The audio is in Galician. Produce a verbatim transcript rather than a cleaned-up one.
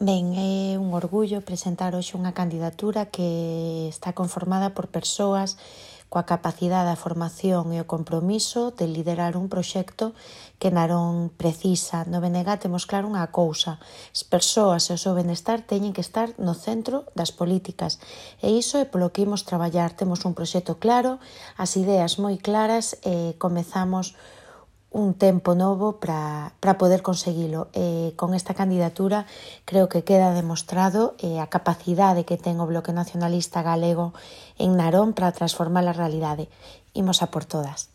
Ben, é un orgullo presentar hoxe unha candidatura que está conformada por persoas coa capacidade, a formación e o compromiso de liderar un proxecto que Narón precisa. No B N G temos claro unha cousa: as persoas e o seu benestar teñen que estar no centro das políticas, e iso é polo que imos traballar. Temos un proxecto claro, as ideas moi claras e comezamos un tempo novo para para poder conseguilo. E con esta candidatura creo que queda demostrado eh, a capacidade que ten o Bloque Nacionalista Galego en Narón para transformar a realidade. Imos a por todas.